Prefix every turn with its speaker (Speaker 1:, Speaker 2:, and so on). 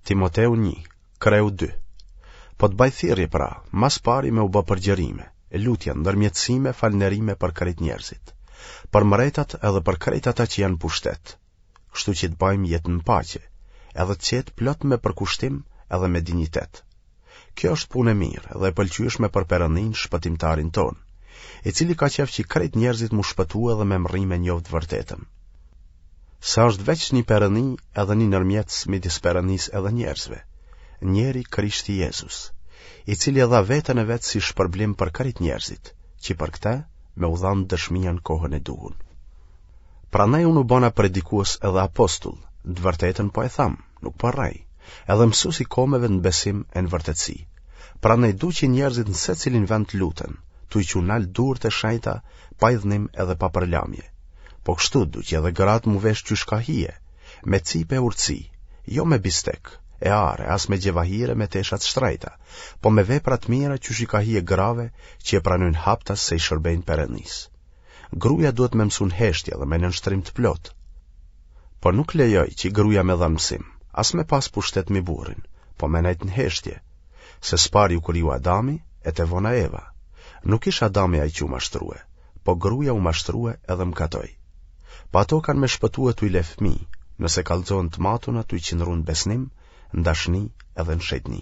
Speaker 1: Timoteu 1, kreu 2. Po të baj thirrje pra, ma s'pari me u bë përgjërime, lutje, ndërmjetësime, falënderime për krejt njerëzit, për mretat edhe për krejt ata që janë n'pushtet, kështu që të bajmë jetë në paqe, edhe të qetë plot me përkushtim edhe me dinjitet. Kjo është punë e mirë dhe e pëlqyeshme për Perëndinë shpëtimtarin tonë, i cili ka qejf që krejt njerëzit m'u shpëtue dhe me mrri me njoftë të vërtetën. Se është veç një Perëndi edhe një nërmjetës midis Perëndisë edhe njerëzve, njeri Krishti Jezus, i cili e dha veten e vet si shpërblim për krejt njerëzit, që për këtë me u dhanë dëshmia në kohën e duhun. Prandaj unë u bona predikues edhe apostull, të vërtetën po e tham, nuk po rrej, edhe mësues i komeve në besim e në vërtetësi. Prandaj du që njerëzit në secilin vend të luten, tuj çu nalt durt e shenjta, pa idhnim edhe pa përlamje. Po kështu du që edhe gratë m'u vesh qysh ka hije, me cipë e urtësi, jo me bistek, e ar, as me xhevahire me tesha të shtrejta, po me vepra të mira qysh i ka hije grave që e pranojnë haptas se i shërbejnë Perëndisë. Gruja duhet me mësu në heshtje dhe me nënshtrim të plotë. Po nuk lejoj që gruja me dhanë mësim, as me pas pushtet mi burrin, po me nejtë në heshtje, se s'pari u kriju Adami, e te vona Eva. Nuk ish Adami ai që u mashtrue, po gruja u mashtrue edhe mkatoi. Po ato kanë me shpëtue tuj le fëmijë, nëse kallxohen të matuna tuj qëndru në besnim, në dashni edhe në shejtni.